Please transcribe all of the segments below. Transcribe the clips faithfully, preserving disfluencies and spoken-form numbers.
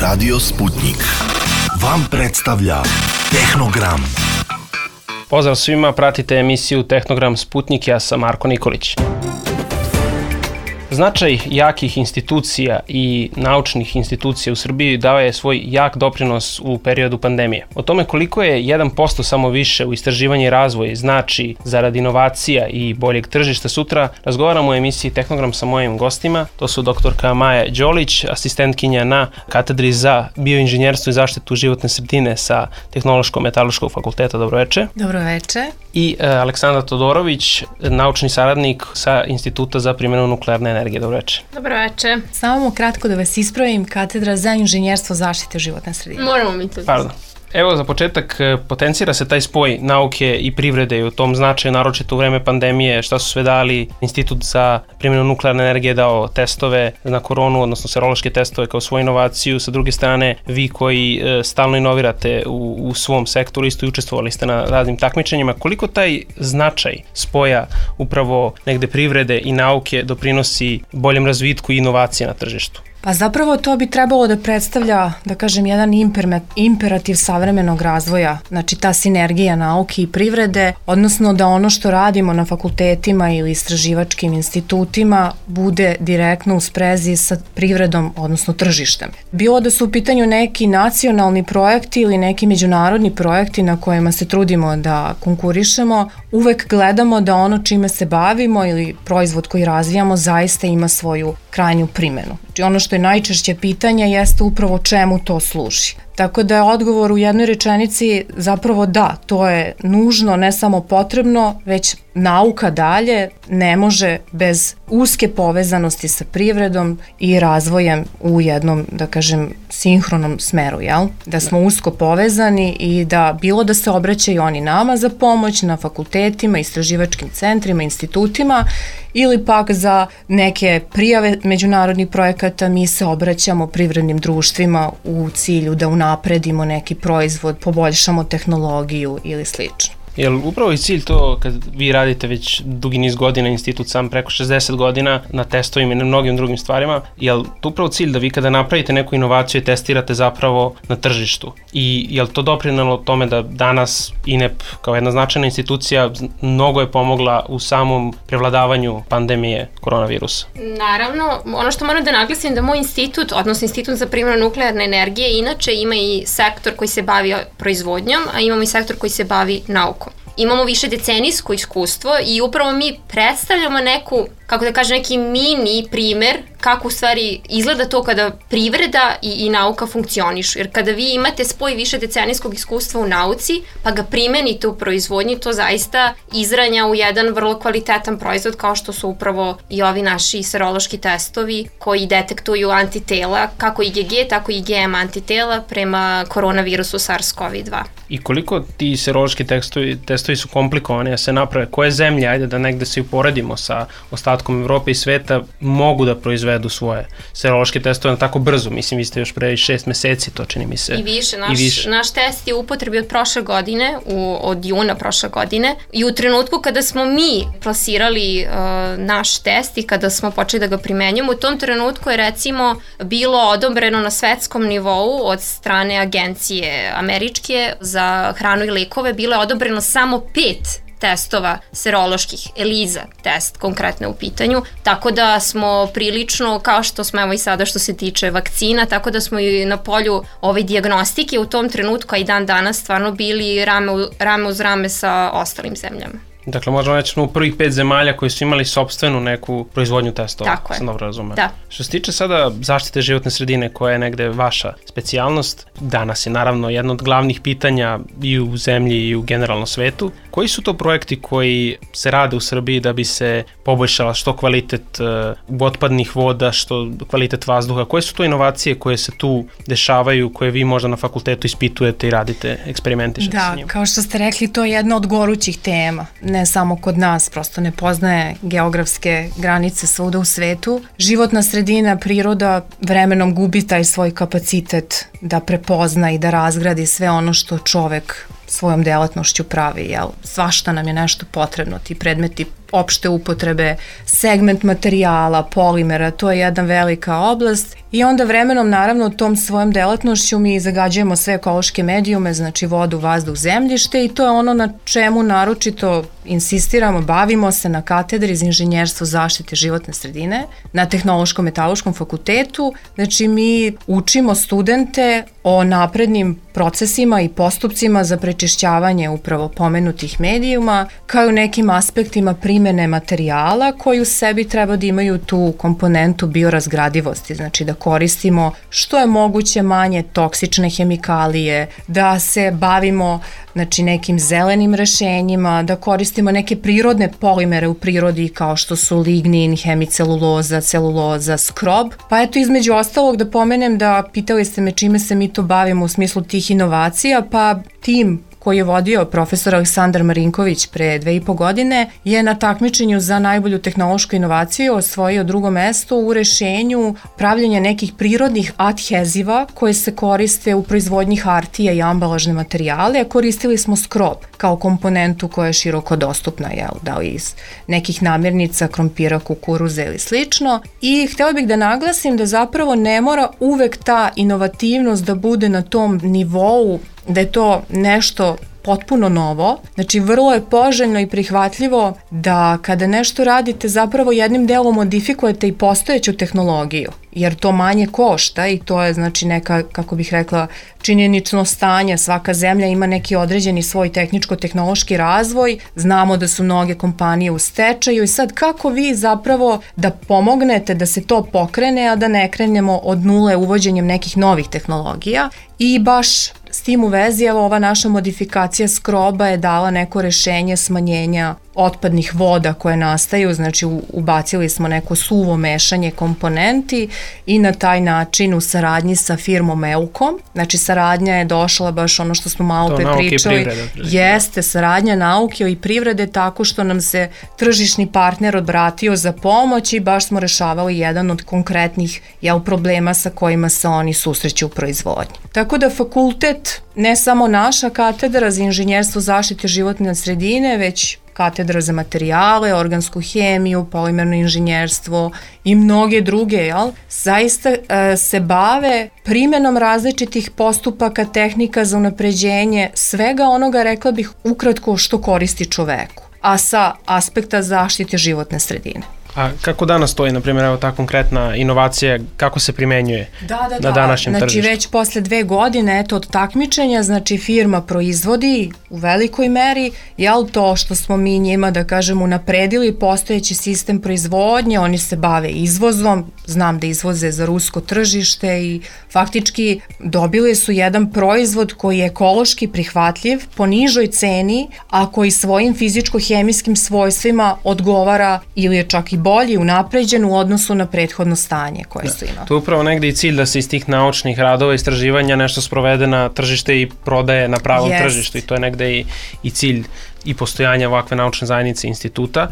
Radio Sputnik vam predstavlja Tehnogram. Pozdrav svima, pratite emisiju Tehnogram Sputnik, ja sam Marko Nikolić. Značaj jakih institucija i naučnih institucija u Srbiji dao je svoj jak doprinos u periodu pandemije. O tome koliko je jedan posto samo više u istraživanje i razvoj znači zarad inovacija i boljeg tržišta sutra, razgovaramo u emisiji Tehnogram sa mojim gostima. To su doktorka Maja Đolić, asistentkinja na katedri za bioinženjerstvo i zaštitu životne sredine sa Tehnološko-metaloškog fakulteta. Dobroveče. Dobroveče. I uh, Aleksandra Todorović, naučni saradnik sa Instituta za primjenu nuklearne energije. Dobroveče. Dobroveče. Samo kratko da vas ispravim, katedra za inženjerstvo zaštite životne sredine. Moramo mi to. Pardon. Evo, za početak, potencira se taj spoj nauke i privrede i u tom značaju, naročito u vreme pandemije, šta su sve dali. Institut za primjenu nuklearne energije dao testove na koronu, odnosno serološke testove kao svoju inovaciju. Sa druge strane, vi koji e, stalno inovirate u, u svom sektoru, isto i učestvovali ste na raznim takmičenjima. Koliko taj značaj spoja upravo negde privrede i nauke doprinosi boljem razvitku i inovacije na tržištu? Pa zapravo to bi trebalo da predstavlja, da kažem, jedan imperativ savremenog razvoja, znači ta sinergija nauke i privrede, odnosno da ono što radimo na fakultetima ili istraživačkim institutima bude direktno u sprezi sa privredom, odnosno tržištem. Bilo da su u pitanju neki nacionalni projekti ili neki međunarodni projekti na kojima se trudimo da konkurišemo, uvek gledamo da ono čime se bavimo ili proizvod koji razvijamo zaista ima svoju krajnju primenu. Znači ono što je najčešće pitanje jeste upravo čemu to služi. Tako da je odgovor u jednoj rečenici zapravo da, to je nužno, ne samo potrebno, već nauka dalje ne može bez uske povezanosti sa privredom i razvojem u jednom, da kažem, sinhronom smeru, jel? Da smo usko povezani i da bilo da se obraćaju oni nama za pomoć na fakultetima, istraživačkim centrima, institutima ili pak za neke prijave međunarodnih projekata mi se obraćamo privrednim društvima u cilju da unapredimo neki proizvod, poboljšamo tehnologiju ili slično. Jel upravo je cilj to kad vi radite već dugi niz godina, institut sam preko šezdeset godina na testovima i na mnogim drugim stvarima, jel to upravo cilj da vi kada napravite neku inovaciju i testirate zapravo na tržištu? I jel to doprinelo tome da danas I N E P kao jedna značajna institucija mnogo je pomogla u samom prevladavanju pandemije koronavirusa? Naravno, ono što moram da naglasim da moj institut, odnosno Institut za primjenu nuklearne energije, inače ima i sektor koji se bavi proizvodnjom, a imamo i sektor koji se bavi naukom. Imamo više decenijsko iskustvo i upravo mi predstavljamo neku, kako da kažem, neki mini primer kako u stvari izgleda to kada privreda i, i nauka funkcionišu. Jer kada vi imate spoj više decenijskog iskustva u nauci, pa ga primenite u proizvodnji, to zaista izranja u jedan vrlo kvalitetan proizvod kao što su upravo i ovi naši serološki testovi koji detektuju antitela, kako I G G, tako I G M antitela prema koronavirusu SARS-CoV dva. I koliko ti serološki testovi, testovi su komplikovani da se naprave? Koje zemlje, ajde da negde se uporedimo sa ostatkom Evrope I sveta, mogu da proizvedu svoje serološke testove na tako brzo? Mislim, vi ste još pre šest meseci, to čini mi se. I više. Naš, I više. Naš test je u upotrebi od prošle godine, u, od juna prošle godine. I u trenutku kada smo mi plasirali uh, naš test i kada smo počeli da ga primenjamo, u tom trenutku je recimo bilo odobreno na svetskom nivou od strane agencije američke za hranu I lekove, bilo je odobreno samo pet testova seroloških, ELISA test konkretno u pitanju, tako da smo prilično, kao što smo evo I sada što se tiče vakcina, tako da smo I na polju ove dijagnostike u tom trenutku, a I dan danas stvarno bili rame, u, rame uz rame sa ostalim zemljama. Dakle, možemo reći u prvih pet zemalja koji su imali sopstvenu neku proizvodnju testova. Tako je. Sam dobro razumem. Da. Što se tiče sada zaštite životne sredine koja je negde vaša specijalnost, danas je naravno jedno od glavnih pitanja I u zemlji I u generalno svetu. Koji su to projekti koji se rade u Srbiji da bi se poboljšala što kvalitet uh, otpadnih voda, što kvalitet vazduha? Koje su to inovacije koje se tu dešavaju, koje vi možda na fakultetu ispitujete I radite, eksperimentišete da, s njima? Da, kao što ste rekli, to je jedna od gorućih tema. Ne samo kod nas, prosto ne poznaje geografske granice svuda u svetu. Životna sredina, priroda vremenom gubi taj svoj kapacitet da prepozna I da razgradi sve ono što čovek svojom delatnošću pravi, jel? Svašta nam je nešto potrebno, ti predmeti opšte upotrebe, segment materijala, polimera, to je jedna velika oblast i onda vremenom naravno tom svojom delatnošću mi zagađujemo sve ekološke medijume, znači vodu, vazduh, zemljište i to je ono na čemu naročito insistiramo, bavimo se na katedri za inženjerstvo zaštite životne sredine na Tehnološko-metaloškom fakultetu. Znači mi učimo studente o naprednim procesima i postupcima za prečišćavanje upravo pomenutih medijuma, kao i nekim aspektima primene materijala koji u sebi treba da imaju tu komponentu biorazgradivosti, znači da koristimo što je moguće manje toksične hemikalije, da se bavimo znači nekim zelenim rešenjima, da koristimo neke prirodne polimere u prirodi kao što su lignin, hemiceluloza, celuloza, skrob. Pa eto između ostalog da pomenem da pitali ste me čime se mi to bavimo u smislu tih inovacija, pa tim koji je vodio profesor Aleksandar Marinković pre dve i po godine, je na takmičenju za najbolju tehnološku inovaciju osvojio drugo mesto u rešenju pravljenja nekih prirodnih adheziva koje se koriste u proizvodnji hartija i ambalažne materijale, a koristili smo skrob kao komponentu koja je široko dostupna, jel, da li iz nekih namirnica, krompira, kukuruza ili slično. I htela bih da naglasim da zapravo ne mora uvek ta inovativnost da bude na tom nivou da je to nešto potpuno novo, znači vrlo je poželjno i prihvatljivo da kada nešto radite zapravo jednim delom modifikujete i postojeću tehnologiju, jer to manje košta i to je znači neka, kako bih rekla, činjenično stanje, svaka zemlja ima neki određeni svoj tehničko-tehnološki razvoj, znamo da su mnoge kompanije u stečaju i sad kako vi zapravo da pomognete da se to pokrene, a da ne krenemo od nule uvođenjem nekih novih tehnologija i baš s tim u vezi, evo ova naša modifikacija skroba je dala neko rešenje smanjenja otpadnih voda koje nastaju, znači ubacili smo neko suvo mešanje komponenti i na taj način u saradnji sa firmom Elkom, znači saradnja je došla baš ono što smo malo pre pričali, privrede, jeste saradnja nauke i privrede tako što nam se tržišni partner obratio za pomoć i baš smo rešavali jedan od konkretnih jel, problema sa kojima se oni susreću u proizvodnji. Tako da fakultet, ne samo naša katedra za inženjerstvo zaštite životne sredine, već katedra za materijale, organsku hemiju, polimerno inženjerstvo i mnoge druge, jel, zaista e, se bave primenom različitih postupaka, tehnika za unapređenje svega onoga, rekla bih, ukratko što koristi čoveku, a sa aspekta zaštite životne sredine. A kako danas stoji, na primjer, evo ta konkretna inovacija, kako se primenjuje da, da, na današnjem znači, tržištu? Znači već posle dve godine eto, od takmičenja, znači firma proizvodi u velikoj meri, jel to što smo mi njima, da kažemo, unapredili postojeći sistem proizvodnje, oni se bave izvozom, znam da izvoze za rusko tržište i faktički dobili su jedan proizvod koji je ekološki prihvatljiv po nižoj ceni, a koji svojim fizičko-hemijskim svojstvima odgovara ili je čak i bolji, unapređen u odnosu na prethodno stanje koje su imali. To je upravo negde i cilj da se iz tih naučnih radova i istraživanja nešto sprovede na tržište i prodaje na pravom Jest. tržištu i to je negde i, i cilj i postojanja ovakve naučne zajednice instituta.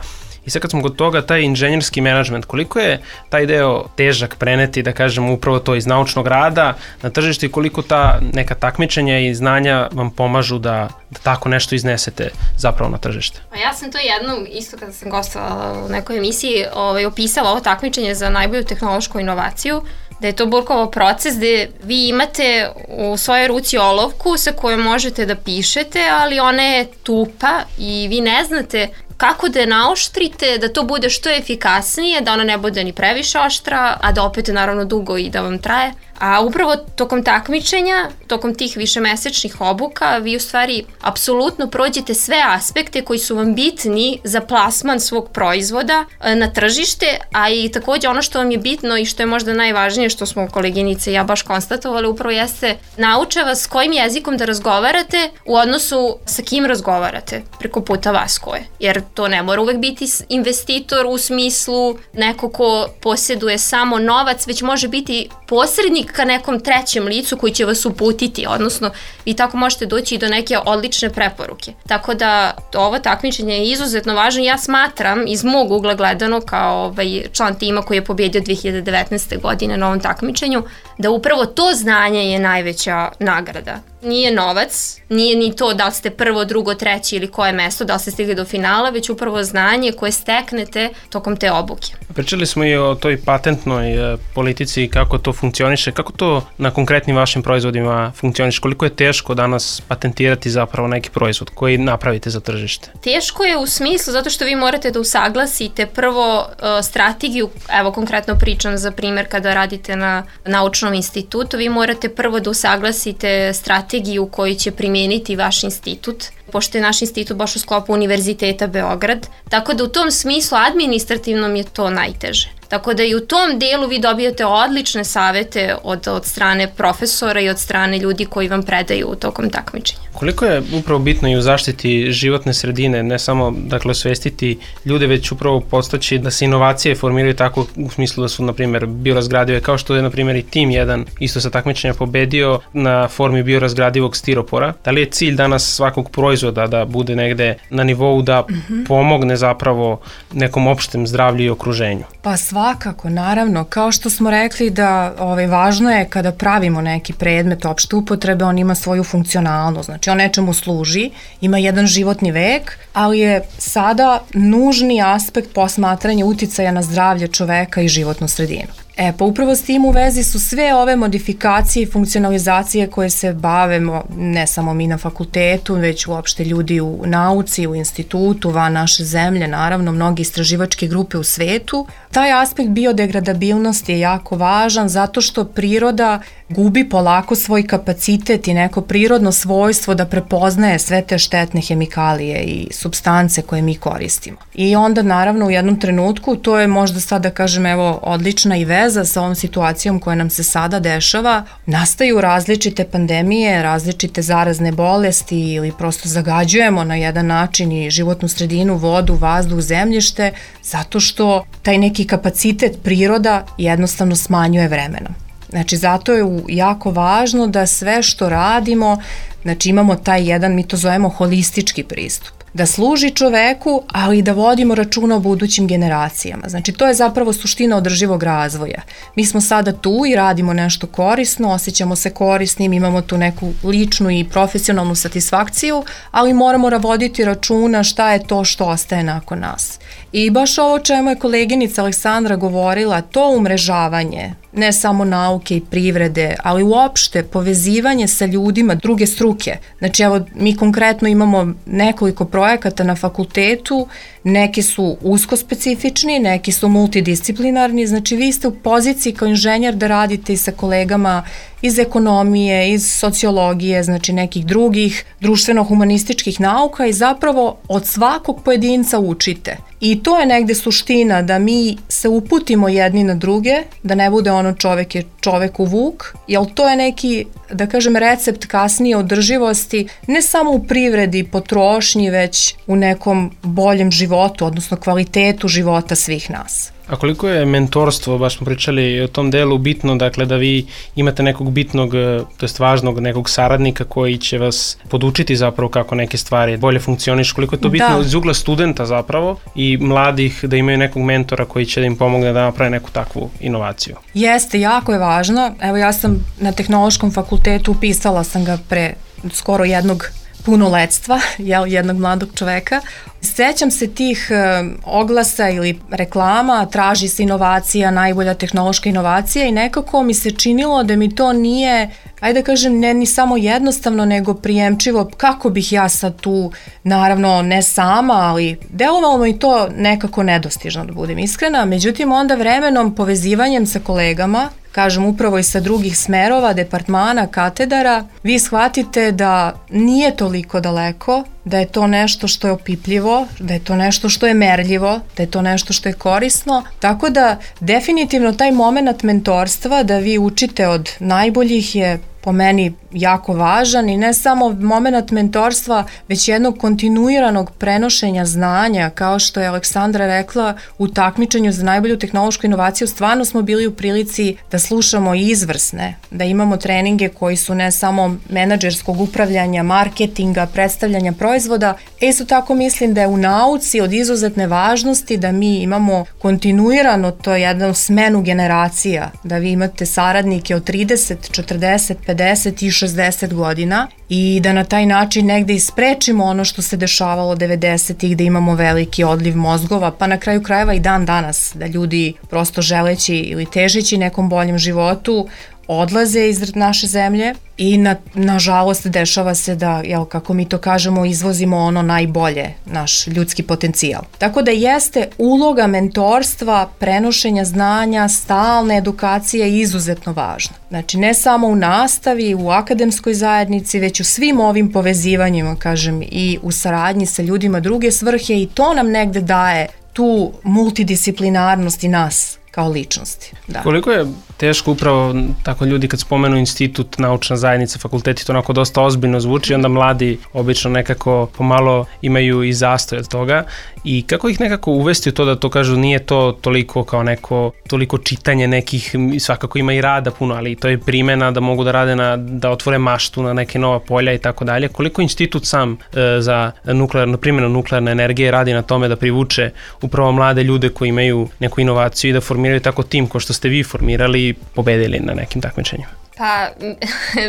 I sad kad smo kod toga, taj inženjerski menadžment, koliko je taj deo težak preneti, da kažemo, upravo to iz naučnog rada na tržište i koliko ta neka takmičenja i znanja vam pomažu da, da tako nešto iznesete zapravo na tržište? Pa ja sam to jednom, isto kada sam gostovala u nekoj emisiji, ovaj, opisala ovo takmičenje za najbolju tehnološku inovaciju, da je to Burkov proces gde vi imate u svojoj ruci olovku sa kojom možete da pišete, ali ona je tupa i vi ne znate kako da je naoštrite, da to bude što efikasnije, da ona ne bude ni previše oštra, a da opet naravno dugo i da vam traje. A upravo tokom takmičenja, tokom tih višemesečnih obuka, vi u stvari apsolutno prođete sve aspekte koji su vam bitni za plasman svog proizvoda na tržište, a i takođe ono što vam je bitno i što je možda najvažnije, što smo koleginice i ja baš konstatovali, upravo jeste nauče vas s kojim jezikom da razgovarate u odnosu sa kim razgovarate preko puta vas koje. Jer to ne mora uvek biti investitor u smislu neko ko posjeduje samo novac, već može biti posrednik ka nekom trećem licu koji će vas uputiti, odnosno vi tako možete doći i do neke odlične preporuke. Tako da ovo takmičenje je izuzetno važno. Ja smatram iz mog ugla gledano kao ovaj član tima koji je pobjedio dve hiljade devetnaeste. godine na ovom takmičenju, da upravo to znanje je najveća nagrada. nije novac, nije ni to da li ste prvo, drugo, treći ili koje mesto, da li ste stigli do finala, već upravo znanje koje steknete tokom te obuke. Pričali smo i o toj patentnoj politici i kako to funkcioniše. Kako to na konkretnim vašim proizvodima funkcioniše? Koliko je teško danas patentirati zapravo neki proizvod koji napravite za tržište? Teško je u smislu zato što vi morate da usaglasite prvo uh, strategiju, evo konkretno pričam za primjer kada radite na naučnom institutu, vi morate prvo da usaglasite strategiju koju će primijeniti vaš institut, pošto je naš institut baš u sklopu Univerziteta Beograd, tako da u tom smislu administrativnom je to najteže. Tako da i u tom delu vi dobijate odlične savete od, od strane profesora i od strane ljudi koji vam predaju tokom takmičenja. Koliko je upravo bitno i u zaštiti životne sredine, ne samo dakle osvestiti ljude, već upravo postaći da se inovacije formiraju tako u smislu da su, na primjer, biorazgradive, kao što je, na primjer, i tim jedan isto sa takmičenja pobedio na formi biorazgradivog stiropora. Da li je cilj danas svakog proizvoda da bude negde na nivou da mm-hmm. pomogne zapravo nekom opštem zdravlju i okruženju? Pa svakako, naravno, kao što smo rekli da ovaj, važno je kada pravimo neki predmet opšte upotrebe, on ima svoju funkcionalnost, znači on nečemu služi, ima jedan životni vek, ali je sada nužni aspekt posmatranja uticaja na zdravlje čoveka i životnu sredinu. E, pa upravo s tim u vezi su sve ove modifikacije i funkcionalizacije koje se bavimo, ne samo mi na fakultetu, već uopšte ljudi u nauci, u institutu, van naše zemlje, naravno, mnogi istraživačke grupe u svetu. Taj aspekt biodegradabilnosti je jako važan zato što priroda gubi polako svoj kapacitet i neko prirodno svojstvo da prepoznaje sve te štetne hemikalije i supstance koje mi koristimo. I onda naravno u jednom trenutku, to je možda sad da kažem evo odlična i veza sa ovom situacijom koja nam se sada dešava, nastaju različite pandemije, različite zarazne bolesti ili prosto zagađujemo na jedan način i životnu sredinu, vodu, vazduh, zemljište, zato što taj neki kapacitet priroda jednostavno smanjuje vremenom. Znači, zato je jako važno da sve što radimo, znači imamo taj jedan, mi to zovemo holistički pristup, da služi čoveku, ali i da vodimo računa o budućim generacijama. Znači, to je zapravo suština održivog razvoja. Mi smo sada tu i radimo nešto korisno, osjećamo se korisnim, imamo tu neku ličnu i profesionalnu satisfakciju, ali moramo voditi računa šta je to što ostaje nakon nas. I baš ovo čemu je koleginica Aleksandra govorila, to umrežavanje, ne samo nauke i privrede, ali uopšte povezivanje sa ljudima druge struke. Znači, evo, mi konkretno imamo nekoliko projekata na fakultetu, neki su usko specifični, neki su multidisciplinarni, znači vi ste u poziciji kao inženjer da radite i sa kolegama iz ekonomije, iz sociologije, znači nekih drugih društveno-humanističkih nauka i zapravo od svakog pojedinca učite. I to je negde suština da mi se uputimo jedni na druge, da ne bude ono čovek je čoveku vuk, jer to je neki, da kažem, recept kasnije održivosti, ne samo u privredi, potrošnji, već u nekom boljem životu, odnosno kvalitetu života svih nas. A koliko je mentorstvo, baš smo pričali o tom delu, bitno, dakle, da vi imate nekog bitnog, to jest važnog nekog saradnika koji će vas podučiti zapravo kako neke stvari bolje funkcionišu, koliko je to bitno da. Iz ugla studenta zapravo i mladih da imaju nekog mentora koji će da im pomogne da naprave neku takvu inovaciju? Jeste, jako je važno. Evo, ja sam na Tehnološkom fakultetu, upisala sam ga pre skoro jednog punoletstva, jel, jednog mladog čoveka. Sećam se tih e, oglasa ili reklama, traži se inovacija, najbolja tehnološka inovacija i nekako mi se činilo da mi to nije, ajde da kažem, ne ni samo jednostavno, nego prijemčivo, kako bih ja sad tu, naravno ne sama, ali delovalo mi to nekako nedostižno, da budem iskrena. Međutim, onda vremenom, povezivanjem sa kolegama, kažem upravo i sa drugih smerova, departmana, katedara, vi shvatite da nije toliko daleko, da je to nešto što je opipljivo, da je to nešto što je merljivo, da je to nešto što je korisno. Tako da definitivno taj moment mentorstva da vi učite od najboljih je po meni jako važan i ne samo moment mentorstva, već jednog kontinuiranog prenošenja znanja, kao što je Aleksandra rekla, u takmičenju za najbolju tehnološku inovaciju stvarno smo bili u prilici da slušamo izvrsne, da imamo treninge koji su ne samo menadžerskog upravljanja, marketinga, predstavljanja proizvoda. E, isto tako mislim da je u nauci od izuzetne važnosti da mi imamo kontinuirano to jednu smenu generacija, da vi imate saradnike od trideset, četrdeset, pedeset pedeset i šezdeset godina i da na taj način negde isprečimo ono što se dešavalo devedesetih, da imamo veliki odliv mozgova, pa na kraju krajeva i dan danas, da ljudi prosto želeći ili težeći nekom boljem životu odlaze iz naše zemlje i na, nažalost dešava se da, jel, kako mi to kažemo, izvozimo ono najbolje, naš ljudski potencijal. Tako da jeste uloga mentorstva, prenošenja znanja, stalne edukacije izuzetno važna. Znači ne samo u nastavi, u akademskoj zajednici, već u svim ovim povezivanjima, kažem, i u saradnji sa ljudima druge svrhe i to nam negde daje tu multidisciplinarnost i nas kao ličnosti. Da. Koliko je teško upravo tako ljudi kad spomenu institut, naučna zajednica, fakulteti, to onako dosta ozbiljno zvuči, onda mladi obično nekako pomalo imaju i zastoj od toga i kako ih nekako uvesti u to da to kažu nije to toliko kao neko, toliko čitanje nekih, svakako ima i rada puno, ali to je primjena da mogu da rade na, da otvore maštu na neke nova polja i tako dalje. Koliko institut sam e, za nuklearnu, primjenu nuklearne energije radi na tome da privuče upravo mlade ljude koji imaju neku inovaciju i da formiraju tako tim ko što ste vi formirali i pobedili na nekim takmičenjima? Pa,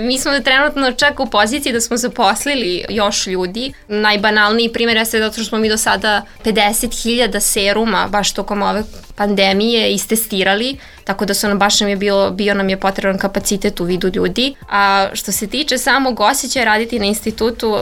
mi smo trenutno čak u poziciji da smo zaposlili još ljudi. Najbanalniji primjer je zato što smo mi do sada pedeset hiljada seruma baš tokom ove pandemije istestirali, tako da su nam baš nam je bilo, bio nam je potreban kapacitet u vidu ljudi. A što se tiče samog osjećaja raditi na institutu,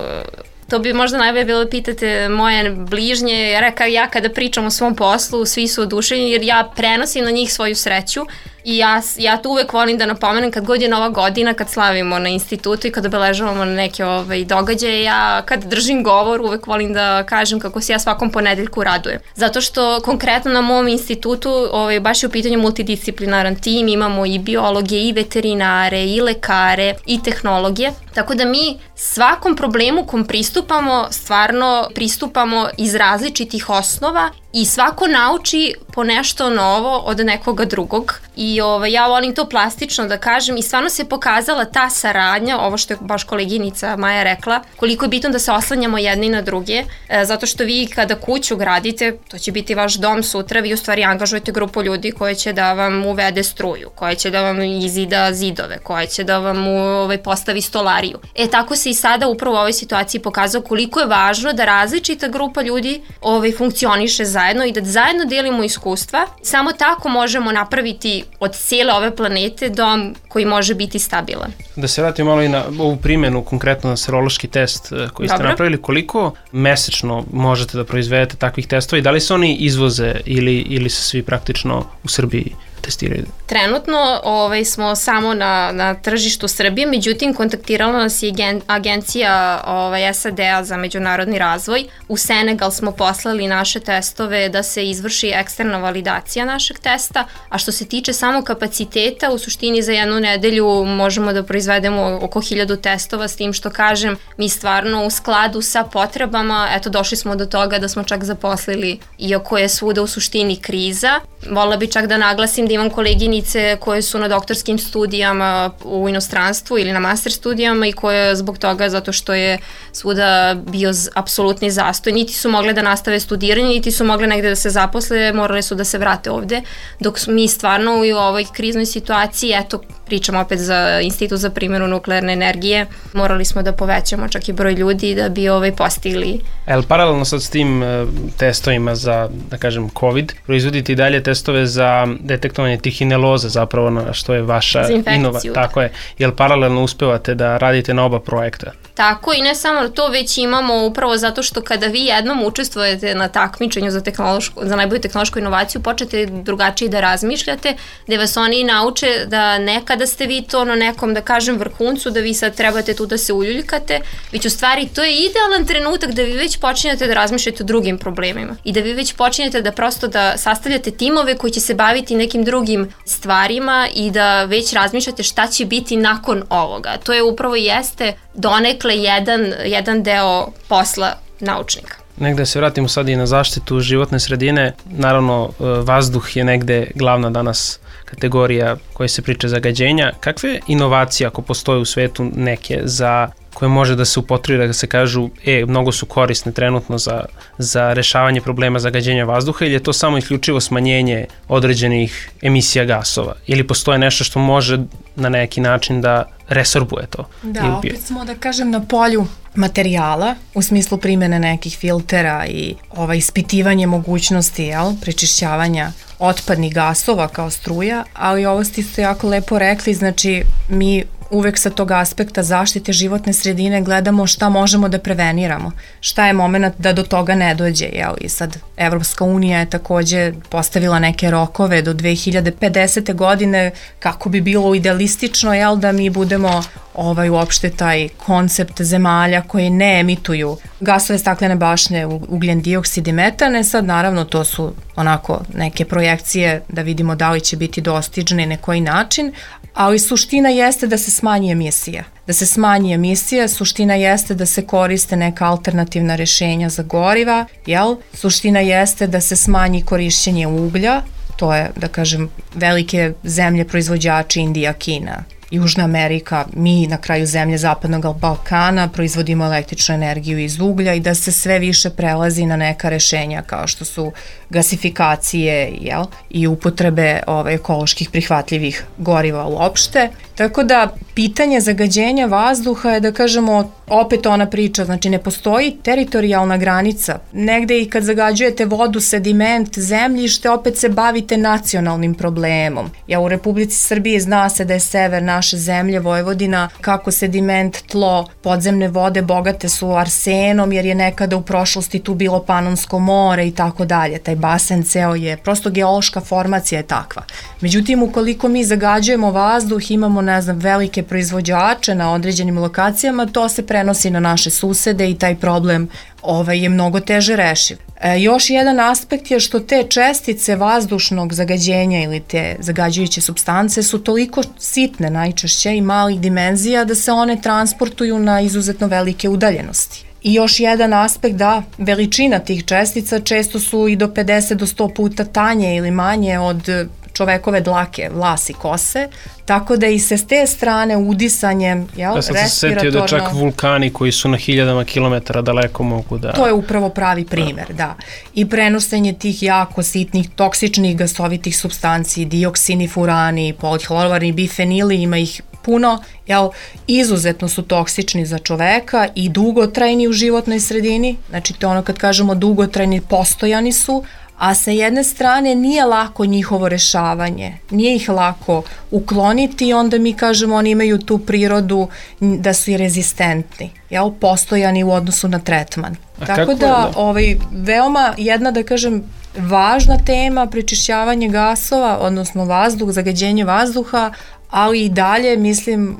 to bi možda najbolje bilo da pitate moje bližnje, jer ja kada pričam o svom poslu, svi su oduševljeni jer ja prenosim na njih svoju sreću i ja, ja to uvek volim da napomenem kad god je nova godina, kad slavimo na institutu i kad obeležavamo neke ovaj, događaje, ja kad držim govor uvek volim da kažem kako se ja svakom ponedeljku radujem. Zato što konkretno na mom institutu ovaj, baš je u pitanju multidisciplinaran tim, imamo i biologe, i veterinare, i lekare, i tehnologije, tako da mi svakom problemu kom pristupamo, stvarno pristupamo iz različitih osnova i svako nauči po nešto novo od nekoga drugog i ovaj, ja volim to plastično da kažem i stvarno se pokazala ta saradnja, ovo što je baš koleginica Maja rekla, koliko je bitno da se oslanjamo jedni na druge, e, zato što vi kada kuću gradite, to će biti vaš dom sutra, vi u stvari angažujete grupu ljudi koje će da vam uvede struju, koje će da vam izida zidove, koje će da vam ovaj, postavi stolariju. E tako se i sada upravo u ovoj situaciji pokazao koliko je važno da različita grupa ljudi ovaj, funkcioniše zajedno i da zajedno delimo iskustva. Samo tako možemo napraviti od cijele ove planete dom koji može biti stabilan. Da se vratimo malo i na ovu primjenu, konkretno na serološki test koji ste Dobro. napravili, koliko mesečno možete da proizvedete takvih testova i da li se oni izvoze ili, ili se svi praktično u Srbiji testiraju? Trenutno ovaj, smo samo na, na tržištu Srbije, međutim kontaktirala nas je gen, agencija ovaj, S A D-a za međunarodni razvoj. U Senegal smo poslali naše testove da se izvrši eksterna validacija našeg testa, a što se tiče samog kapaciteta, u suštini za jednu nedelju možemo da proizvedemo oko hiljadu testova, s tim što kažem, mi stvarno u skladu sa potrebama, eto došli smo do toga da smo čak zaposlili, iako je svuda u suštini kriza. Volila bi čak da naglasim da imam koleginice koje su na doktorskim studijama u inostranstvu ili na master studijama i koje zbog toga, zato što je svuda bio apsolutni zastoj, niti su mogle da nastave studiranje, niti su mogle negde da se zaposle, morale su da se vrate ovde, dok mi stvarno u ovoj kriznoj situaciji, eto, pričamo opet za Institut za primjenu nuklearne energije, morali smo da povećamo čak i broj ljudi da bi ovaj postigli. El, paralelno sad s tim testovima za, da kažem, COVID, proizvodite i dalje testove za detektovanje trihineloze, zapravo na što je vaša inovacija. Tako je. Jel paralelno uspevate da radite na oba projekta? Tako i ne samo to, već imamo upravo zato što kada vi jednom učestvujete na takmičenju za, za najbolju tehnološku inovaciju, počete drugačije da razmišljate, gde vas oni nauče da nekada ste vi to na nekom, da kažem, vrhuncu, da vi sad trebate tu da se uljuljkate, već u stvari to je idealan trenutak da vi već počinjete da razmišljate o drugim problemima i da vi već počinjete da prosto da sastavljate timove koji će se baviti nekim drugim stvarima i da već razmišljate šta će biti nakon ovoga. To je upravo jeste donekle jedan, jedan deo posla naučnika. Negde se vratimo sad i na zaštitu životne sredine. Naravno, vazduh je negde glavna danas kategorija koja se priča zagađenja. Kakve inovacije, ako postoje u svetu neke za koje može da se upotrebi, da se kažu, e, mnogo su korisne trenutno za, za rešavanje problema zagađenja vazduha, ili je to samo isključivo smanjenje određenih emisija gasova? Ili postoje nešto što može na neki način da resorbuje to? Da, opet smo, da kažem, na polju materijala, u smislu primjene nekih filtera i ovaj, ispitivanje mogućnosti, jel, prečišćavanja otpadnih gasova kao struja, ali ovo ste jako lepo rekli, znači mi uvek sa tog aspekta zaštite životne sredine gledamo šta možemo da preveniramo, šta je moment da do toga ne dođe, jel? I sad Evropska unija je takođe postavila neke rokove do dve hiljade pedesete godine kako bi bilo idealistično, jel, da mi budemo ovaj uopšte taj koncept zemalja koje ne emituju gasove staklene bašte, ugljen dioksid i metane. Sad naravno to su onako neke projekcije da vidimo da li će biti dostižne i na koji način, ali suština jeste da se smanji emisija. Da se smanji emisija, suština jeste da se koriste neka alternativna rešenja za goriva, jel? Suština jeste da se smanji korišćenje uglja, to je, da kažem, velike zemlje proizvođači, Indija, Kina, Južna Amerika, mi na kraju zemlje Zapadnog Balkana proizvodimo električnu energiju iz uglja i da se sve više prelazi na neka rešenja kao što su gasifikacije, jel, i upotrebe ove, ekoloških prihvatljivih goriva uopšte. Tako da pitanje zagađenja vazduha je, da kažemo, opet ona priča, znači ne postoji teritorijalna granica. Negde i kad zagađujete vodu, sediment, zemljište, opet se bavite nacionalnim problemom. Ja u Republici Srbiji zna se da je sever naše zemlje, Vojvodina, kako sediment, tlo, podzemne vode bogate su arsenom jer je nekada u prošlosti tu bilo Panonsko more i tako dalje. Taj basen ceo je, prosto geološka formacija je takva. Međutim, ukoliko mi zagađujemo vazduh, imamo, ne znam, velike proizvođače na određenim lokacijama, to se prenosi na naše susede i taj problem ovaj, je mnogo teže rešiv. E, još jedan aspekt je što te čestice vazdušnog zagađenja ili te zagađujuće supstance su toliko sitne najčešće i malih dimenzija da se one transportuju na izuzetno velike udaljenosti. I još jedan aspekt da veličina tih čestica često su i do pedeset do sto puta tanje ili manje od čovekove dlake, vlasi, kose, tako da i se s te strane udisanjem, jel, ja sam se setio da čak vulkani koji su na hiljadama kilometara daleko mogu da... To je upravo pravi primer, da. da. I prenošenje tih jako sitnih, toksičnih gasovitih supstanci, dioksini, furani, polihlorovani, bifenili, ima ih puno, jel, izuzetno su toksični za čoveka i dugotrajni u životnoj sredini, znači to ono kad kažemo dugotrajni, postojani su, a sa jedne strane nije lako njihovo rešavanje, nije ih lako ukloniti i onda mi kažemo oni imaju tu prirodu da su i rezistentni, jel, postojani u odnosu na tretman. A Tako da, da ovaj, veoma jedna, da kažem, važna tema prečišćavanje gasova, odnosno vazduh, zagađenje vazduha, ali i dalje, mislim,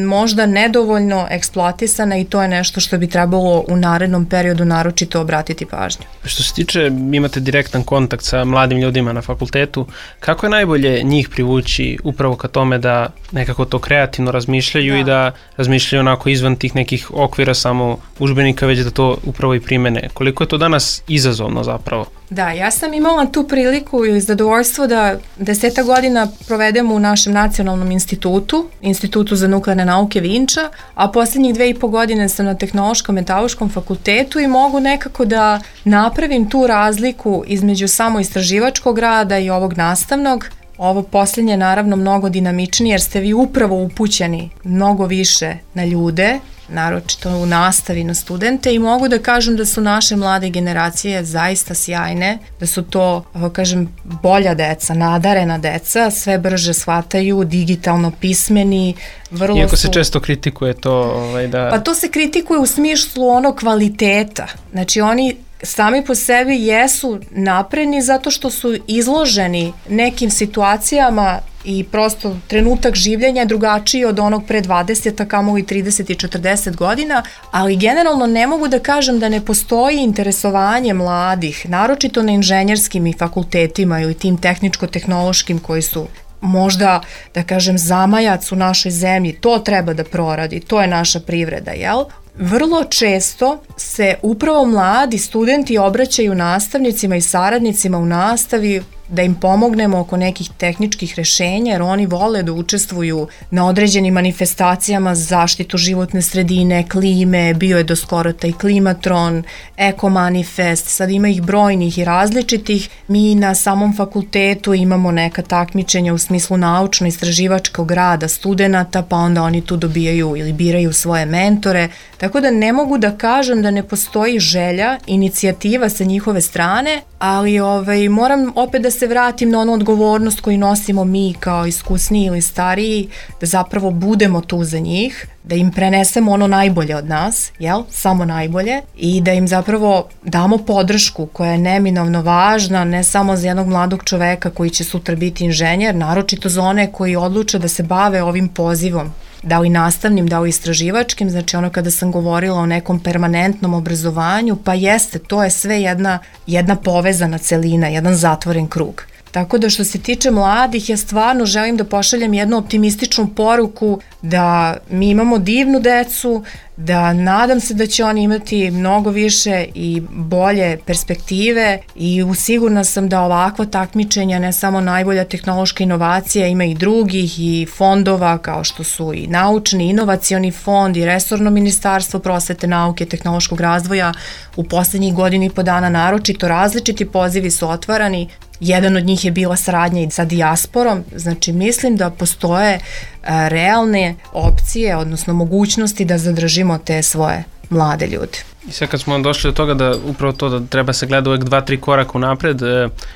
možda nedovoljno eksploatisana i to je nešto što bi trebalo u narednom periodu naročito obratiti pažnju. Što se tiče, imate direktan kontakt sa mladim ljudima na fakultetu, kako je najbolje njih privući upravo ka tome da nekako to kreativno razmišljaju da. i da razmišljaju onako izvan tih nekih okvira samo udžbenika, već da to upravo i primene? Koliko je to danas izazovno zapravo? Da, ja sam imala tu priliku i zadovoljstvo da deseta godina provedemo u našem nacionalnom institutu, Institutu za nuklearne nauke Vinča, a posljednjih dve i po godine sam na Tehnološkom metaloškom fakultetu i mogu nekako da napravim tu razliku između samo istraživačkog rada i ovog nastavnog. Ovo posljednje je naravno mnogo dinamičnije jer ste vi upravo upućeni mnogo više na ljude, naročito u nastavi na studente i mogu da kažem da su naše mlade generacije zaista sjajne, da su to, ovo kažem, bolja deca, nadarena deca, sve brže shvataju, digitalno pismeni, vrlo Iako su... se često kritikuje to ovaj, da... Pa to se kritikuje u smislu ono kvaliteta, znači oni sami po sebi jesu napredni zato što su izloženi nekim situacijama i prosto trenutak življenja je drugačiji od onog pre dvadeset, a kamoli trideset i četrdeset godina, ali generalno ne mogu da kažem da ne postoji interesovanje mladih, naročito na inženjerskim i fakultetima ili tim tehničko-tehnološkim koji su možda, da kažem, zamajac u našoj zemlji, to treba da proradi, to je naša privreda, jel? Vrlo često se upravo mladi studenti obraćaju nastavnicima i saradnicima u nastavi da im pomognemo oko nekih tehničkih rešenja, jer oni vole da učestvuju na određenim manifestacijama za zaštitu životne sredine, klime, bio je do skoro taj klimatron, eko manifest, sad ima ih brojnih i različitih. Mi na samom fakultetu imamo neka takmičenja u smislu naučno-istraživačkog rada studenata, pa onda oni tu dobijaju ili biraju svoje mentore, tako da ne mogu da kažem da ne postoji želja, inicijativa sa njihove strane, ali ovaj, moram opet da se vratim na onu odgovornost koju nosimo mi kao iskusniji ili stariji, da zapravo budemo tu za njih, da im prenesemo ono najbolje od nas, jel? Samo najbolje, i da im zapravo damo podršku koja je neminovno važna, ne samo za jednog mladog čoveka koji će sutra biti inženjer, naročito za one koji odluče da se bave ovim pozivom, da li nastavnim, da li istraživačkim, znači ono kada sam govorila o nekom permanentnom obrazovanju, pa jeste, to je sve jedna, jedna povezana celina, jedan zatvoren krug. Tako da što se tiče mladih, ja stvarno želim da pošaljem jednu optimističnu poruku da mi imamo divnu decu, da nadam se da će oni imati mnogo više i bolje perspektive i sigurna sam da ovakva takmičenja, ne samo najbolja tehnološka inovacija, ima i drugih i fondova kao što su i naučni, inovacioni fond i resorno ministarstvo prosvete, nauke, tehnološkog razvoja u poslednjih godina i po dana naročito različiti pozivi su otvarani. Jedan od njih je bila saradnja i sa dijasporom, znači mislim da postoje a, realne opcije, odnosno mogućnosti da zadržimo te svoje mlade ljude. I sad kad smo došli do toga da upravo to da treba se gleda uvek dva, tri koraka unapred,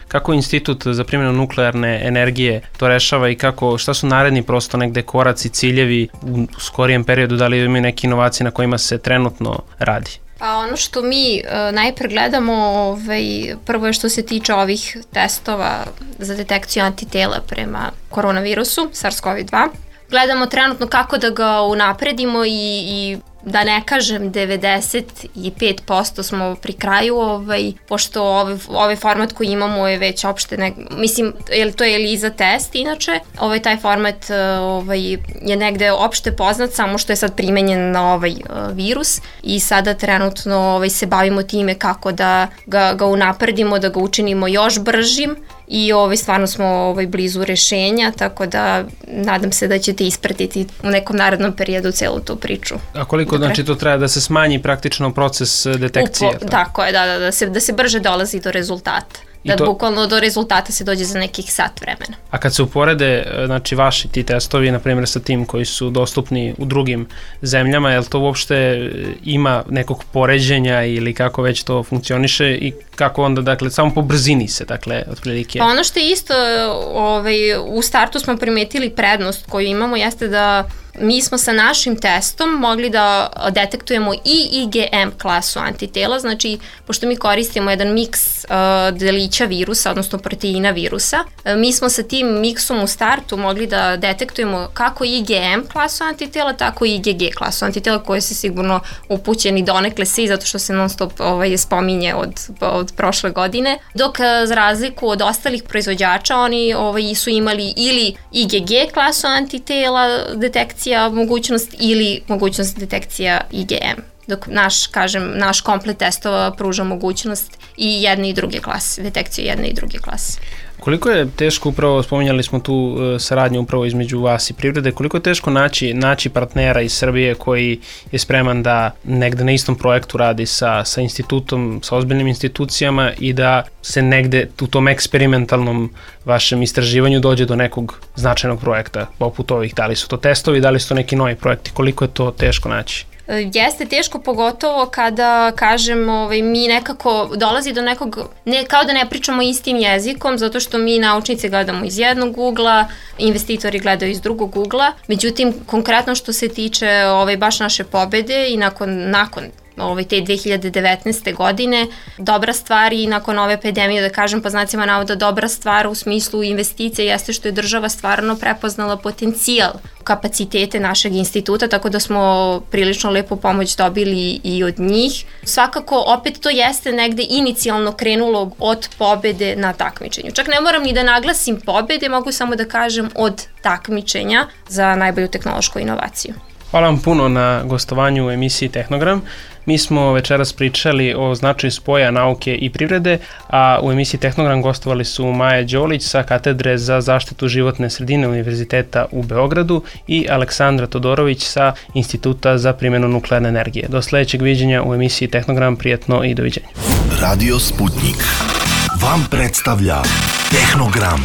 kako Institut za primjenu nuklearne energije to rešava i kako, šta su naredni prosto negde koraci, ciljevi u skorijem periodu, da li imaju neke inovacije na kojima se trenutno radi? Pa ono što mi uh, najpre gledamo, ovaj, prvo je što se tiče ovih testova za detekciju antitela prema koronavirusu, SARS-CoV dva. Gledamo trenutno kako da ga unapredimo i, i da ne kažem devedeset pet posto smo pri kraju, ovaj, pošto ovaj, ovaj format koji imamo je već opšte, ne, mislim, to je ELISA test inače, ovaj, taj format ovaj, je negde opšte poznat, samo što je sad primenjen na ovaj uh, virus i sada trenutno ovaj, se bavimo time kako da ga, ga unapredimo, da ga učinimo još bržim i ovaj, stvarno smo ovaj, blizu rešenja, tako da nadam se da ćete ispratiti u nekom narednom periodu celu tu priču. A koliko Dobre. Znači to treba da se smanji praktično proces detekcije? Upo, tako je, da, da, da, se, da se brže dolazi do rezultata. Da to, bukvalno do rezultata se dođe za nekih sat vremena. A kad se uporede, znači vaši ti testovi, na primjer sa tim koji su dostupni u drugim zemljama, je li to uopšte ima nekog poređenja ili kako već to funkcioniše i kako onda, dakle, samo po brzini se, dakle, otprilike? Pa ono što je isto, ovaj, u startu smo primetili prednost koju imamo jeste da mi smo sa našim testom mogli da detektujemo i I G M klasu antitela, znači pošto mi koristimo jedan miks uh, delića virusa, odnosno proteina virusa, uh, mi smo sa tim miksom u startu mogli da detektujemo kako I G M klasu antitela, tako i I G G klasu antitela, koje se sigurno upućeni donekle svi, zato što se non stop ovaj, spominje od, od prošle godine, dok uh, za razliku od ostalih proizvođača oni ovaj, su imali ili I G G klasu antitela detekcije mogućnost ili mogućnost detekcija I G M. Dok naš, kažem, naš komplet testova pruža mogućnost i jedne i druge klase, detekciju jedne i druge klase. Koliko je teško, upravo spominjali smo tu uh, saradnju upravo između vas i privrede, koliko je teško naći, naći partnera iz Srbije koji je spreman da negde na istom projektu radi sa, sa institutom, sa ozbiljnim institucijama i da se negde u tom eksperimentalnom vašem istraživanju dođe do nekog značajnog projekta poput ovih, da li su to testovi, da li su to neki novi projekti, koliko je to teško naći? Jeste teško, pogotovo kada, kažem, ovaj, mi nekako dolazi do nekog, ne, kao da ne pričamo istim jezikom, zato što mi naučnici gledamo iz jednog ugla, investitori gledaju iz drugog ugla, međutim, konkretno što se tiče ovaj, baš naše pobede i nakon, nakon ovaj, te dve hiljade devetnaeste. godine, dobra stvar i nakon ove epidemije, da kažem po znacima navoda, dobra stvar u smislu investicije jeste što je država stvarno prepoznala potencijal kapacitete našeg instituta, tako da smo prilično lepu pomoć dobili i od njih. Svakako, opet to jeste negde inicijalno krenulo od pobede na takmičenju. Čak ne moram ni da naglasim pobede, mogu samo da kažem od takmičenja za najbolju tehnološku inovaciju. Hvala vam puno na gostovanju u emisiji Tehnogram. Mi smo večeras pričali o značaju spoja nauke i privrede, a u emisiji Tehnogram gostovali su Maja Đolić sa katedre za zaštitu životne sredine Univerziteta u Beogradu i Aleksandra Todorović sa Instituta za primjenu nuklearne energije. Do sledećeg viđenja u emisiji Tehnogram, prijatno i doviđenja. Radio Sputnik vam predstavlja Tehnogram.